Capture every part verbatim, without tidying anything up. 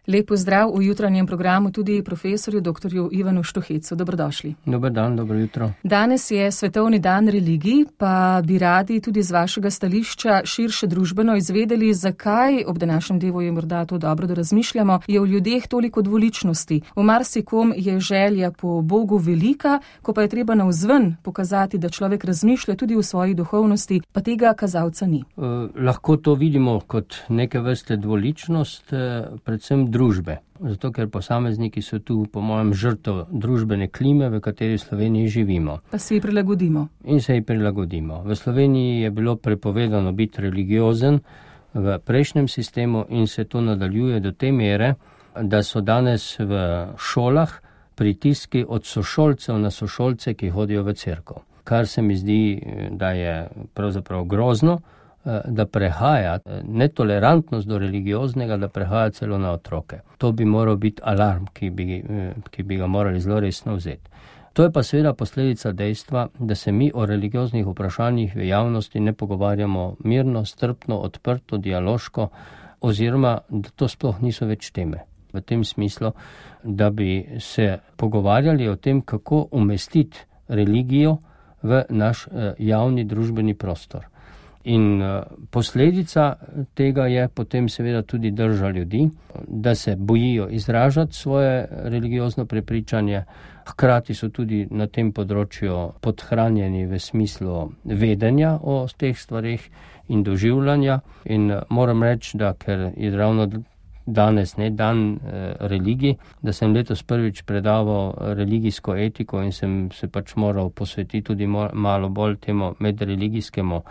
Lep pozdrav v jutranjem programu tudi profesorju doktorju Ivanu Štuhecu. Dobrodošli. Dober dan, dobro jutro. Danes je svetovni dan religij, pa bi radi tudi z vašega stališča širše družbeno izvedeli, zakaj, ob današnjem dnevu je morda to dobro, da razmišljamo, je v ljudeh toliko dvoličnosti. V marsikom je želja po Bogu velika, ko pa je treba navzven pokazati, da človek razmišlja tudi v svoji duhovnosti, pa tega kazalca ni. Eh, lahko to vidimo kot neke vrste dvoličnost, eh, predvsem družbe. Zato, ker posamezniki so tu, po mojem, žrtev družbene klime, v kateri v Sloveniji živimo. Pa se ji prilagodimo. In se ji prilagodimo. V Sloveniji je bilo prepovedano biti religiozen v prejšnjem sistemu in se to nadaljuje do te mere, da so danes v šolah pritiski od sošolcev na sošolce, ki hodijo v cerkev. Kar se mi zdi, da je pravzaprav grozno, da prehaja netolerantnost do religioznega, da prehaja celo na otroke. To bi moral biti alarm, ki bi, ki bi ga morali zelo resno vzeti. To je pa seveda posledica dejstva, da se mi o religioznih vprašanjih v javnosti ne pogovarjamo mirno, strpno, odprto, dialoško, oziroma da to sploh niso več teme. V tem smislu, da bi se pogovarjali o tem, kako umestiti religijo v naš javni družbeni prostor. In posledica tega je potem seveda tudi drža ljudi, da se bojijo izražati svoje religiozno prepričanje, hkrati so tudi na tem področju podhranjeni v smislu vedenja o teh stvareh in doživljanja. In moram reči, da ker je ravno danes ne dan eh, religij, da sem letos prvič predaval religijsko etiko in sem se pač moral posvetiti tudi malo bolj temu medreligijskemu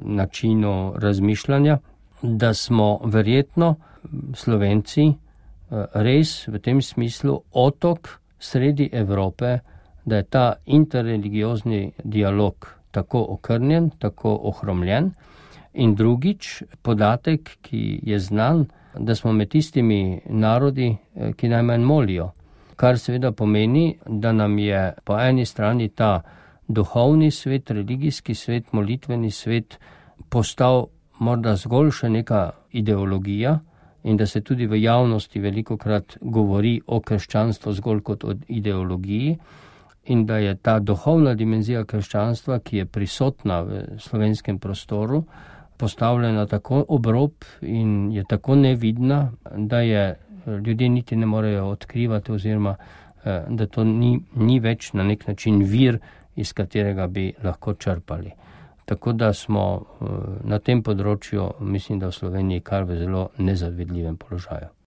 načinu razmišljanja, da smo verjetno Slovenci res v tem smislu otok sredi Evrope, da je ta interreligiozni dialog tako okrnjen, tako ohromljen. In drugič, podatek, ki je znan, da smo med tistimi narodi, ki najmanj molijo, kar seveda pomeni, da nam je po eni strani ta duhovni svet, religijski svet, molitveni svet postal morda zgolj še neka ideologija in da se tudi v javnosti velikokrat govori o krščanstvu zgolj kot o ideologiji in da je ta duhovna dimenzija krščanstva, ki je prisotna v slovenskem prostoru, postavljena tako ob rob in je tako nevidna, da je ljudje niti ne morejo odkrivati oziroma da to ni, ni več na nek način vir, iz katerega bi lahko črpali. Tako da smo na tem področju, mislim, da v Sloveniji kar v zelo nezavidljivem položaju.